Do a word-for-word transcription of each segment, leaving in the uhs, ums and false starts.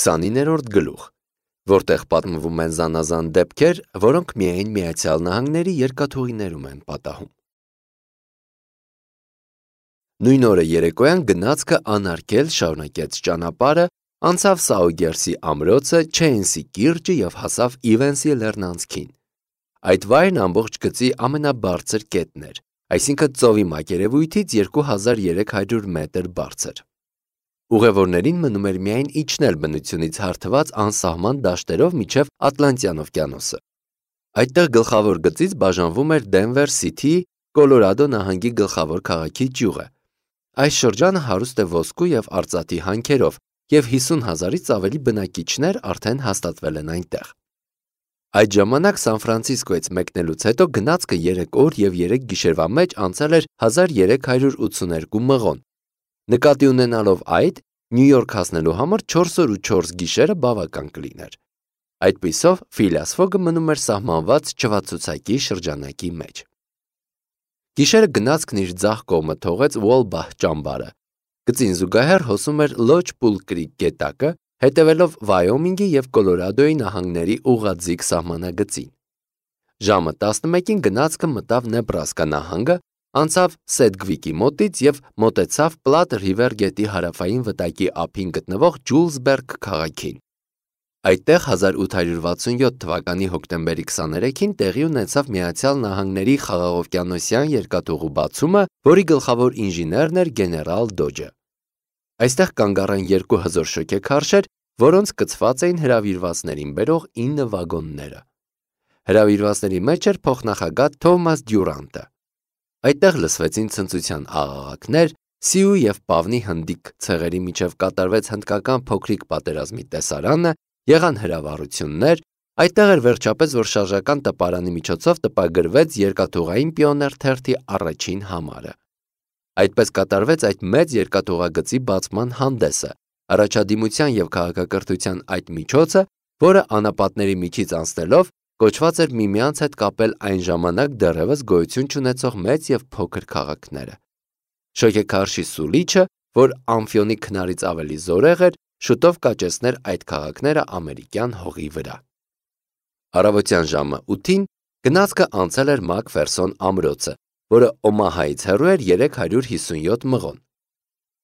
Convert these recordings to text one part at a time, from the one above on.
քսանիններորդ գլուխ, որտեղ պատմվում են զանազան դեպքեր, որոնք միայն Միացյալ Նահանգների երկաթուղիներում են պատահում։ Նույն օրը երեկոյան գնացքը անարգել շարունակեց ճանապարհը, անցավ Սաուգերսի ամրոցը, Չեյնսի կիրճը և հասավ Իվենսի լեռնանցքին։ Այդ վայրն ամբողջ գծի ամենաբարձր կետն էր, այսինքն ծովի մակերևույթից երկու հազար երեք հարյուր մետր բարձր։ Ուղևորներին մնում էր միայն իջնել բնությունից հարթված անսահման դաշտերով մինչև Ատլանտյան օվկիանոսը։ Այդտեղ գլխավոր գծից բաժանվում էր Դենվեր Սիթիի, Կոլորադո նահանգի գլխավոր քաղաքի ճյուղը։ Այս շրջանը հարուստ է ոսկու և արծաթի հանքերով, և հիսուն հազարից ավելի բնակիչներ արդեն հաստատվել են այնտեղ։ Այդ ժամանակ Սան Ֆրանցիսկոից մեկնելուց հետո գնացքը երեք օր և երեք գիշերվա մեջ անցել էր հազար երեք հարյուր ութսուներկու մղոն։ Նկատի ունենալով այդ, Նյու Յորք հասնելու համար չորս օր ու չորս գիշերը բավական կլիներ։ Այդպիսով Ֆիլիաս Ֆոգը մնում էր սահմանված չվացուցակի շրջանակի մեջ։ Գիշերը գնացքն իր ձախ կողմը թողեց Ուոլբահ ճամբարը։ Գծին զուգահեռ հոսում էր Լոչ Պուլ Կրիկ գետակը, հետևելով Վայոմինգի և Կոլորադոյի նահանգների ուղղաձիգ սահմանագծին։ Ժամը տասնմեկին գնացքը մտավ Նեբրասկա նահանգը, անցավ Սեդգվիկի մոտից և մոտեցավ Պլատ Ռիվեր գետի հարավային վտակի ափին գտնվող Ջուլսբերգ քաղաքին։ Այդտեղ հազար ութ հարյուր վաթսունյոթ թվականի հոկտեմբերի քսաներեքին տեղի ունեցավ Միացյալ Նահանգների խաղաղօվկիանոսյան երկաթուղու բացումը, որի գլխավոր ինժեներն էր գեներալ Դոջը։ Այստեղ կանգ առան երկու հզոր շոգեքարշեր, որոնց կցված էին հրավիրվածներին բերող ինը վագոնները։ Հրավիրվածների մեջ էր փոխնախագահ Թոմաս Դյուրանտը։ Այդտեղ լսվեցին ցնծության աղաղակներ, Սիու և Պավնի հնդիկ ցեղերի միջև կատարվեց հնդկական փոքրիկ պատերազմի տեսարանը, եղան հրավառություններ, այդտեղ էր վերջապես, որ շարժական տպարանի միջոցով տպագրվեց երկաթուղային պիոներ թերթի առաջին համարը։ Այդպես կատարվեց այդ մեծ երկաթուղագծի բացման հանդեսը, առաջադիմության և քաղաքակրթության այդ միջոցը, որը անապատների միջից անցնելով կոչված էր միմյանց հետ կապել այն ժամանակ դեռևս գոյություն չունեցող մեծ և փոքր քաղաքները։ Շոգեքարշի սուլիչը, որ ամֆիոնի քնարից ավելի զորեղ էր, շուտով կաճեցներ այդ քաղաքները ամերիկյան հողի վրա։ Առավոտյան ժամը ութին գնացքը անցել էր Մակֆերսոն ամրոցը, որը Օմահայից հեռու էր երեք հարյուր հիսունյոթ մղոն։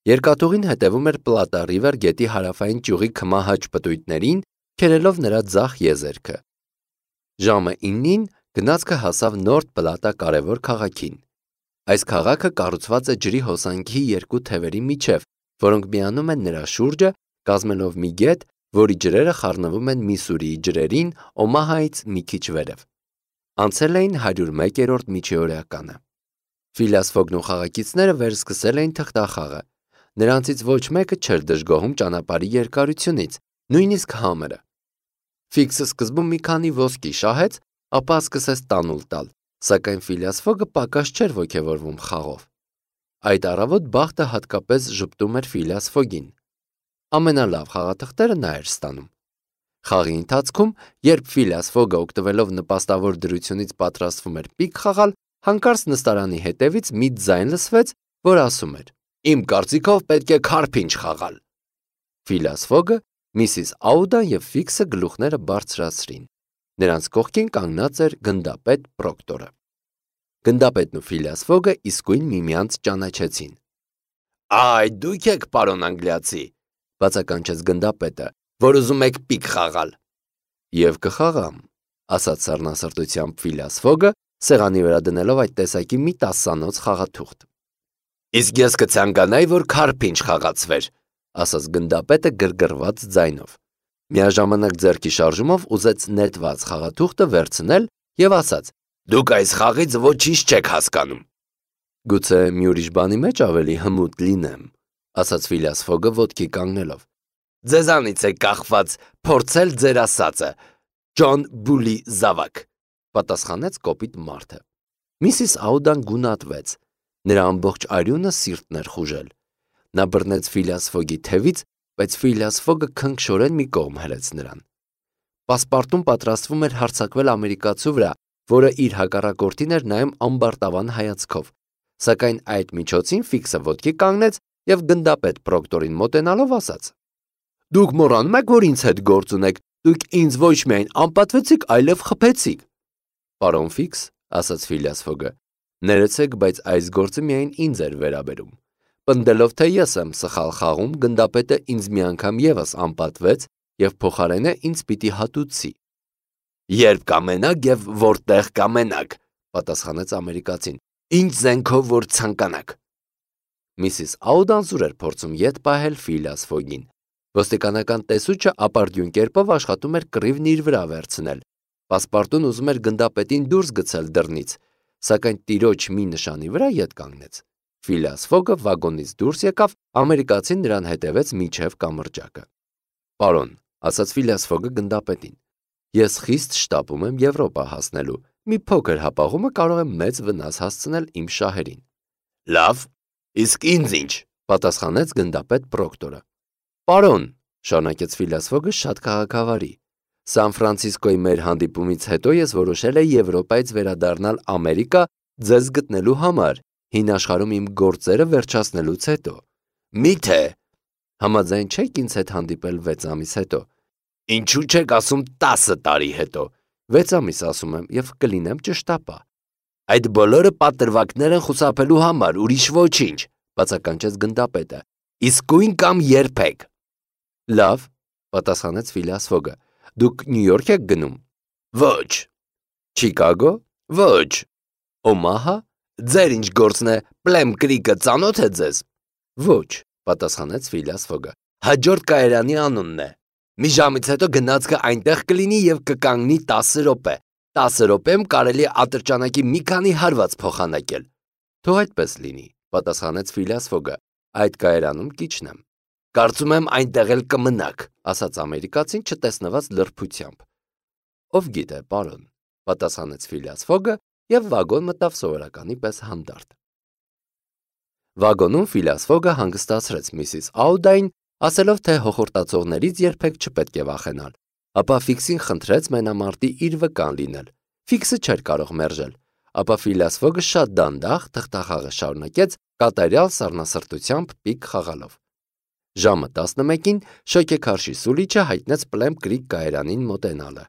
Երկաթուղին հետևում էր Պլատա Ռիվեր գետի հարավային ճյուղի քմահաճ պտույտներին, քերելով նրա ձախ եզերքը։ Ժամը իննին գնացքը հասավ Նորթ Պլատա կարևոր քաղաքին։ Այս քաղաքը կառուցված է ջրի հոսանքի երկու թևերի միջև, որոնք միանում են նրա շուրջը, կազմելով մի գետ, որի ջրերը խառնվում են Միսուրիի ջրերին Օմահայից մի քիչ վերև։ Անցել էին հարյուր մեկերորդ միջօրյականը։ Ֆիլիաս Ֆոգն ու խաղակիցները վերսկսել էին թղթախաղը։ Նրանցից ոչ մեկը չէր դժգոհում ճանապարհի երկարությունից, նույնիսկ համերը։ Ֆիքսը սկզբում մի քանի ոսկի շահեց, ապա սկսեց տանուլ տալ, սակայն Ֆիլիաս Ֆոգը պակաս չէր ոգևորվում խաղով։ Այդ առավոտ բախտը հատկապես ժպտում էր Ֆիլիաս Ֆոգին։ Ամենալավ խաղաթղթերը նա էր ստանում։ Խաղի ընթացքում, երբ Ֆիլիաս Ֆոգը օգտվելով նպաստավոր դրությունից պատրաստվում էր պիկ խաղալ, հանկարծ նստարանի հետևից մի ձայն լսվեց, որ ասում էր. «Իմ կարծիքով պետք է քարփինջ խաղալ»։ Ֆիլիաս Ֆոգը, Միսիս Աուդան և Ֆիքսը գլուխները բարձրացրին։ Նրանց կողքին կանգնած էր գնդապետ Պրոկտորը։ Գնդապետն ու Ֆիլիաս Ֆոգը իսկույն միմյանց ճանաչեցին։ «Այ դուք եք, պարոն անգլիացի», բացականչեց գնդապետը, «որ ուզում եք պիկ խաղալ»։ «Եվ կխաղամ», ասաց սառնասրտությամբ Ֆիլիաս Ֆոգը, սեղանի վրա դնելով այդ տեսակի մի տասանոց խաղաթուղթ։ «Իսկ ես կցանկանայի, որ քարփինջ խաղացվեր», ասաց գնդապետը գրգռված ձայնով։ Միաժամանակ ձեռքի շարժումով ուզեց նետված խաղաթուղթը վերցնել և ասաց. «Դուք այս խաղից ոչինչ չեք հասկանում»։ «Գուցե մի ուրիշ բանի մեջ ավելի հմուտ լինեմ», ասաց Ֆիլիաս Ֆոգը ոտքի կանգնելով։ «Ձեզանից է կախված փորձել ձեր ասածը, Ջոն Բուլի զավակ», պատասխանեց կոպիտ մարդը։ Միսիս Աուդան գունատվեց։ Նրա ամբողջ արյունը սիրտն էր խուժել։ Նա բռնեց Ֆիլիաս Ֆոգի թևից, բայց Ֆիլիաս Ֆոգը քնքշորեն մի կողմ հրեց նրան։ Պասպարտուն պատրաստվում էր հարձակվել ամերիկացու վրա, որը իր հակառակորդին էր նայում ամբարտավան հայացքով, սակայն այդ միջոցին Ֆիքսը ոտքի կանգնեց և գնդապետ Պրոկտորին մոտենալով ասաց. Դուք մոռանում եք, որ ինձ հետ գործ ունեք, դուք ինձ ոչ միայն անպատվեցիք, այլև խփեցիք։ Պարոն Ֆիքս, ասաց Ֆիլիաս Ֆոգը, ներեցեք, բայց այս գործը միայն ինձ էր վերաբերում։ Պնդելով, թե ես եմ սխալ խաղում, գնդապետը ինձ մի անգամ ևս անպատվեց եւ փոխարենը ինձ պիտի հատուցի։ Երբ կամենաք եւ որտեղ կամենաք, պատասխանեց ամերիկացին, ինչ զենքով որ ցանկանաք։ Միսիս Աուդան զուր էր փորձում ետ պահել Ֆիլիաս Ֆոգին։ Ոստիկանական տեսուչը ապարդյուն կերպով աշխատում էր կռիվն իր վրա վերցնել։ Պասպարտուն ուզում էր գնդապետին դուրս գցել դռնից, սակայն տիրոջ մի նշանի վրա ետ կանգնեց։ Ֆիլիաս Ֆոգը վագոնից դուրս եկավ, ամերիկացին նրան հետևեց մինչև կամրջակը։ Պարոն, ասաց Ֆիլիաս Ֆոգը գնդապետին, ես խիստ շտապում եմ Եվրոպա հասնելու, մի փոքր հապաղումը կարող է մեծ վնաս հասցնել իմ շահերին։ Լավ, իսկ ինձ ինչ, պատասխանեց գնդապետ Պրոկտորը։ Պարոն, շարունակեց Ֆիլիաս Ֆոգը շատ քաղաքավարի, Սան Ֆրանցիսկոյի մեր հանդիպումից հետո ես որոշել եմ Եվրոպայից վերադառնալ Ամերիկա ձեզ գտնելու համար, հին աշխարհում իմ գործերը վերջացնելուց հետո։ Միթե համաձայն չեք ինձ հետ հանդիպել վեց ամիս հետո։ Ինչու չեք ասում տասը տարի հետո։ վեց ամիս ասում եմ եւ կլինեմ ճշտապա։ Այդ բոլորը պատրվակներ են խուսափելու համար, ուրիշ ոչինչ, բացականչեց գնդապետը։ Իսկույն կամ երբեք։ Լավ, պատասխանեց Ֆիլիաս Ֆոգը։ Դուք Նյու Յորք եք գնում։ Ոչ։ Չիկագո։ Ոչ։ Օմահա։ Ձեր ինչ գործն է, Պլեմ Կրիկը ծանոթ է ձեզ։ Ոչ, պատասխանեց Ֆիլիաս Ֆոգը։ Հաջորդ կայարանի անունն է։ Մի ժամից հետո գնացքը այնտեղ կլինի եւ կկանգնի տասը րոպե։ տասը րոպեում կարելի է ատրճանակի մի քանի հարված փոխանակել։ Թող այդպես լինի, պատասխանեց Ֆիլիաս Ֆոգը։ Այդ կայարանում կիջնեմ։ Կարծում եմ այնտեղ էլ կմնաք, ասաց ամերիկացին չտեսնված լրբությամբ։ Ով գիտե, պարոն, պատասխանեց Ֆիլիաս Ֆոգը եւ վագոն մտավ սովորականի պես հանդարտ։ Վագոնում Ֆիլիաս Ֆոգը հանգստացրեց միսիս Աուդային, ասելով, թե հոխորտացողներից երբեք չպետք է վախենալ, ապա Ֆիքսին խնդրեց մենամարտի իր վկան լինել։ Ֆիքսը չէր կարող մերժել, ապա Ֆիլիաս Ֆոգը շատ դանդաղ թղթախաղը շարունակեց, կատարյալ սառնասրտությամբ պիկ խաղալով։ Ժամը տասնմեկին շոկեքարշի սուլիչը հայտնեց Պլեմ Կրիկ կայարանին մոտենալը։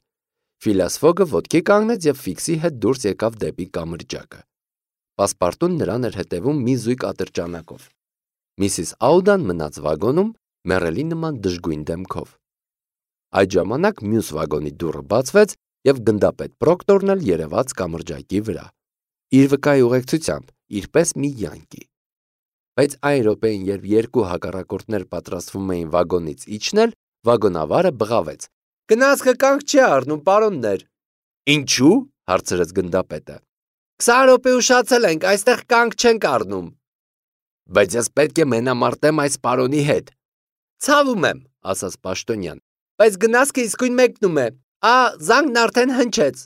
Ֆիլիաս Ֆոգը ոտքի կանգնեց եւ Ֆիքսի հետ դուրս եկավ դեպի կամրջակը։ Պասպարտուն նրան էր հետևում մի զույգ ատրճանակով։ Միսիս Աուդան մնաց վագոնում, մեռելի նման դժգույն դեմքով։ Այդ ժամանակ մյուս վագոնի դուռը բացվեց եւ գնդապետ Պրոկտորն էլ երևաց կամրջակի վրա։ Իր վկայի ուղեկցությամբ, իրպես մի յանկի։ Բայց այն րոպեին, երբ երկու հակառակորդներ պատրաստվում էին վագոնից իջնել, վագոնավարը բղավեց. Գնացքը կանգ չի առնում, պարոններ։ Ինչու՞, հարցրեց գնդապետը։ քսան րոպե ուշացել ենք, այստեղ կանգ չենք առնում։ Բայց ես պետք է մենամարտեմ այս պարոնի հետ։ Ցավում եմ, ասաց պաշտոնյան, բայց գնացքը իսկույն մեկնում է։ Ա, զանգն արդեն հնչեց։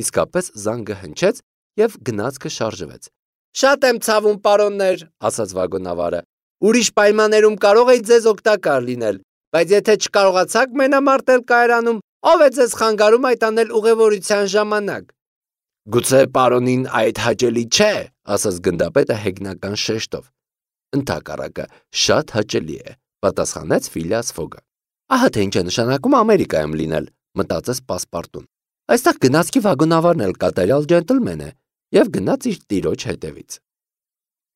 Իսկապես զանգը հնչեց եւ գնացքը շարժվեց։ Շատ եմ ցավում, պարոններ, ասաց վագոնավարը։ Ուրիշ պայմաններում կարող էի ձեզ օգտակար լինել, բայց եթե չկարողացաք մենամարտել կայարանում, ով է ձեզ խանգարում այդ անել ուղևորության ժամանակ։ Գուցե պարոնին այդ հաճելի չէ, ասաց գնդապետը հեգնական շեշտով։ Ընդհակառակը շատ հաճելի է, պատասխանեց Ֆիլիաս Ֆոգը։ Ահա թե ինչ է նշանակում Ամերիկայում լինել, մտածեց Պասպարտուն։ Այստեղ գնացքի վագոնավարն էլ կատարյալ ջենտլմեն է եւ գնաց իր տիրոջ հետևից։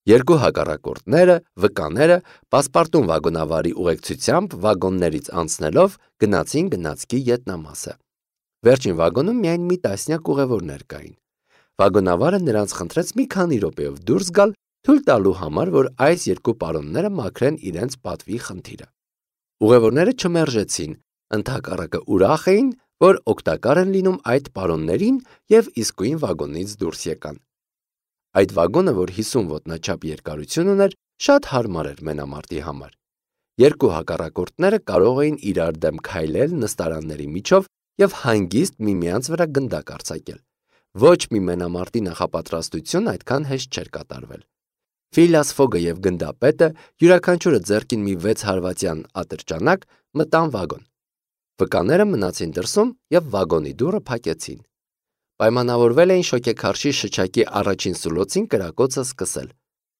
Երկու հակառակորդները, վկաները, Պասպարտուն վագոնավարի ուղեկցությամբ վագոններից անցնելով գնացին գնացքի ետնամասը։ Վերջին վագոնում միայն մի տասնյակ ուղևորներ կային։ Վագոնավարը նրանց խնդրեց մի քանի րոպեով դուրս գալ, թույլ տալու համար, որ այս երկու պարոնները մաքրեն իրենց պատվի խնդիրը։ Ուղևորները չմերժեցին, ընդհակառակը ուրախ էին, որ օգտակար են լինում այդ պարոններին եւ իսկույն վագոնից դուրս եկան։ Այդ վագոնը, որ հիսուն ոտնաչափ երկարություն ուներ, շատ հարմար էր մենամարտի համար։ Երկու հակառակորդները կարող էին իրար դեմ քայլել նստարանների միջով եւ հանգիստ միմյանց վրա գնդակ արձակել։ Ոչ մի մենամարտի նախապատրաստություն այդքան հեշտ չէր կատարվել։ Ֆիլիաս Ֆոգը եւ գնդապետը յուրաքանչյուրը ձեռքին մի վեց հարվածյան ատրճանակ մտան վագոն։ Վկաները մնացին դրսում եւ վագոնի դուռը փակեցին։ Պայմանավորվել էին շոկեքարշի շչակի առաջին սուլոցին կրակոցը սկսել։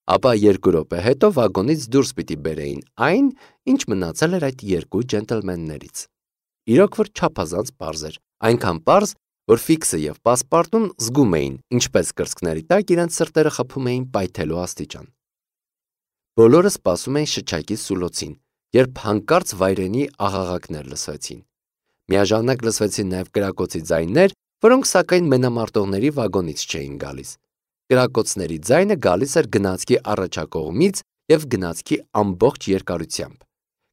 ապա երկու րոպե հետո վագոնից դուրս պիտի բերեին այն, ինչ մնացել էր այդ երկու ջենտլմեններից։ Իրոք որ չափազանց պարզ էր, այնքան պարզ, որ Ֆիքսը եւ Պասպարտուն զգում էին, ինչպես կրծքների տակ իրենց սրտերը խփում էին պայթելու աստիճան։ Բոլորը սպասում էին շչակի սուլոցին, երբ հանկարծ վայրենի աղաղակներ լսվեցին։ Միաժամանակ լսվեցին նաև կրակոցի ձայներ, որոնք սակայն մենամարտողների վագոնից չէին գալիս։ Կրակոցների ձայնը գալիս էր գնացքի առաջակողմից եւ գնացքի ամբողջ երկարությամբ։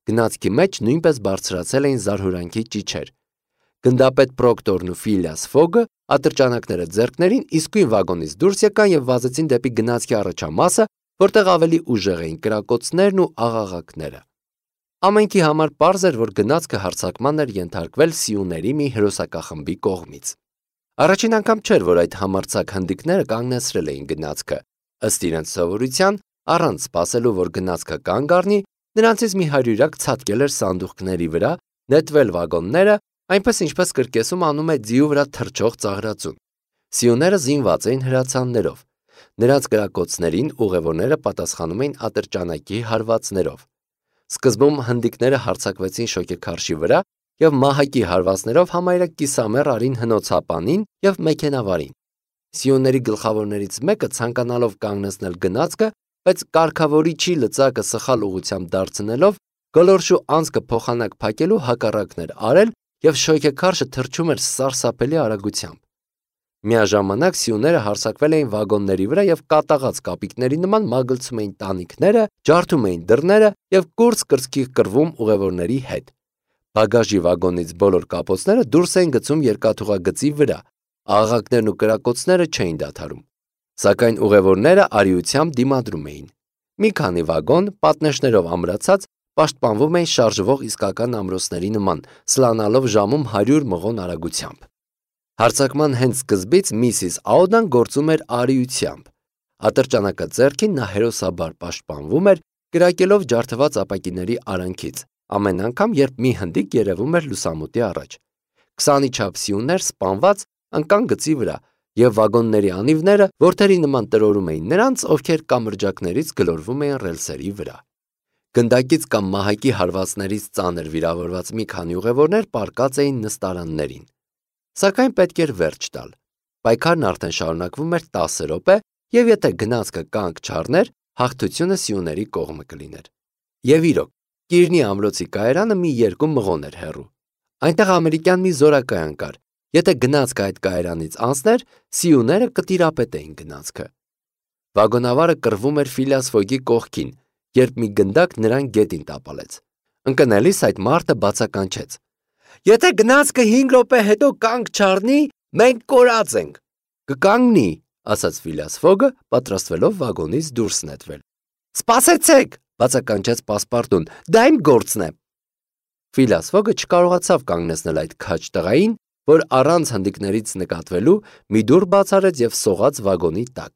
Գնացքի մեջ նույնպես բարձրացել էին զարհուրանքի ճիչեր։ Գնդապետ Պրոկտորն ու Ֆիլիաս Ֆոգը ատրճանակները ձեռքներին իսկույն վագոնից դուրս եկան եւ վազեցին դեպի գնացքի առաջամասը, որտեղ ավելի ուժեղ էին կրակոցներն ու աղաղակները։ Ամենքի համար պարզ էր, որ գնացքը հարձակման էր ենթարկվել սիուների մի հրոսակախմբի կողմից։ Առաջին անգամ չէր, որ այդ համարձակ հնդիկները կանգնեցրել էին գնացքը։ Ըստ իրենց սովորության, առանց սպասելու, որ գնացքը կանգ առնի, նրանցից մի հարյուրյակ ցատկել էր սանդուղքների վրա, նետվել վագոնները, այնպես ինչպես կրկեսում անում է ձիու վրա թռչող ծաղրածուն։ Սիուները զինված էին հրացաններով։ Նրանց կրակոցներին ուղևորները պատասխանում էին ատրճանակի հարվածներով։ Սկզբում հնդիկները հարձակվեցին շոգեքարշի վրա եւ մահակի հարվածներով համարյա կիսամեռ արին հնոցապանին եւ մեքենավարին։ Սիուների գլխավորներից մեկը ցանկանալով կանգնեցնել գնացքը, բայց կարգավորիչի լծակը սխալ ուղղությամբ դարձնելով գոլորշու անցքը փոխանակ փակելու հակառակն էր արել եւ շոգեքարշը թռչում էր սարսափելի արագությամբ։ Միաժամանակ սիուները հարձակվել էին վագոնների վրա եւ կատաղած կապիկների նման մագլցում էին տանիքները, ջարդում էին դռները եւ կուրծ կրծքի կռվում ուղևորների հետ։ Բագաժի վագոնից բոլոր կապոցները դուրս էին գցում երկաթուղագծի վրա, աղաղակներն ու կրակոցները չէին դադարում։ Սակայն ուղևորները արիությամբ դիմադրում էին։ Մի քանի վագոն, պատնեշներով ամրացած, պաշտպանվում էին շարժվող իսկական ամրոցների նման, սլանալով ժամում հարյուր մղոն արագությամբ։ Հարձակման հենց սկզբից միսիս Աուդան գործում էր արիությամբ։ Ատրճանակը ձեռքին նա հերոսաբար պաշտպանվում էր, կրակելով ջարդված ապակիների արանքից, ամեն անգամ, երբ մի հնդիկ երևում էր լուսամուտի առաջ։ Քսանի չափ սիուներ սպանված ընկան գծի վրա, եւ վագոնների անիվները որդերի նման տրորում էին նրանց, ովքեր կամրջակներից գլորվում էին ռելսերի վրա։ Գնդակից կամ մահակի հարվածներից ծանր վիրավորված մի քանի ուղևորներ պառկած էին նստարաններին։ Սակայն պետք էր վերջ տալ։ Պայքարն արդեն շարունակվում էր տասը րոպե, եւ եթե գնացքը կանգ չառներ, հաղթությունը սիուների կողմը կլիներ։ Եվ իրոք, Կիրնի ամրոցի կայարանը մի երկու մղոն էր հեռու։ Այնտեղ ամերիկյան մի զորակայան կար։ Եթե գնացքը այդ կայարանից անցներ, սիուները կտիրապետեին գնացքը։ Վագոնավարը կռվում էր Ֆիլիաս Ֆոգի կողքին, երբ մի գնդակ նրան գետին տապալեց։ Ընկնելիս այդ մարդը բացականչեց. «Եթե գնացքը հինգ րոպե հետո կանգ չառնի, մենք կորած ենք»։ «Կկանգնի», ասաց Ֆիլիաս Ֆոգը, պատրաստվելով վագոնից դուրս նետվել։ «Սպասեցեք», բացականչեց Պասպարտուն, «դա իմ գործն է»։ Ֆիլիաս Ֆոգը չկարողացավ կանգնեցնել այդ քաջ տղային, որ առանց հնդիկներից նկատվելու մի դուռ բաց արեց եւ սողաց վագոնի տակ։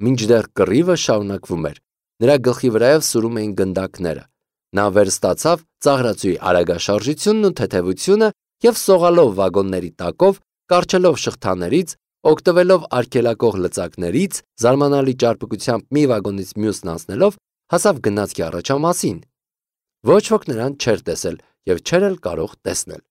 Մինչդեռ կռիվը շարունակվում էր։ Նրա գլխի վրայով սուրում էին գնդակները։ Նա վերստացավ ծաղրածուի արագաշարժությունն ու թեթևությունը եւ սողալով վագոնների տակով, կարճելով շղթաներից, օգտվելով արգելակող լծակներից, զարմանալի ճարպկությամբ մի վագոնից մյուսն անցնելով, հասավ գնացքի առաջամասին։ Ոչ ոք նրան չէր տեսել եւ չէր էլ կարող տեսնել։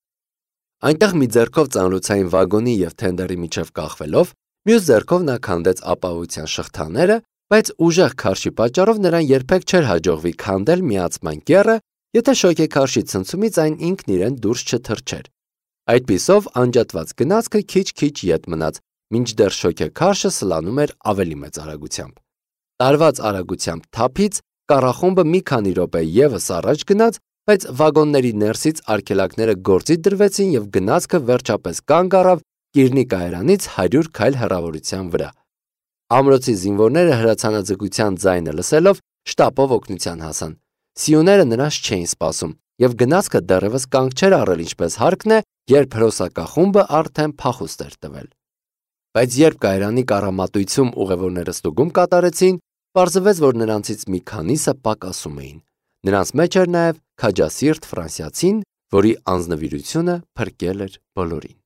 Այնտեղ մի ձեռքով ծանրոցային վագոնի եւ թենդերի միջև կախվելով, մյուս ձեռքով նա քանդեց ապահովության շղթաները, բայց ուժեղ քարշի պատճառով նրան երբեք չէր հաջողվի քանդել միացման կեռը, եթե շոգեքարշի ցնցումից այն ինքն իրեն դուրս չթռչեր։ Այդպիսով անջատված գնացքը քիչ-քիչ ետ մնաց, մինչդեռ շոգեքարշը սլանում էր ավելի մեծ արագությամբ։ Տարված արագությամբ թափից կառախումբը մի քանի րոպե եւս առաջ գնաց, բայց վագոնների ներսից արգելակները գործի դրվեցին եւ գնացքը վերջապես կանգ առավ Կիրնի կայարանից հարյուր քայլ հեռավորության վրա։ Ամրոցի զինվորները հրացանաձգության ձայնը լսելով շտապով օգնության հասան։ Սիուները նրանց չէին սպասում եւ գնացքը դեռևս կանգ չէր առել ինչպես հարկն է, երբ հրոսակախումբը արդեն փախուստ էր տվել։ Բայց երբ կայարանի կառամատույցում ուղևորները ստուգում կատարեցին, պարզվեց, որ նրանցից մի քանիսը պակասում էին։ Նրանց մեջ էր նաև քաջասիրտ ֆրանսիացին, որի անձնվիրությունը փրկել էր բոլորին։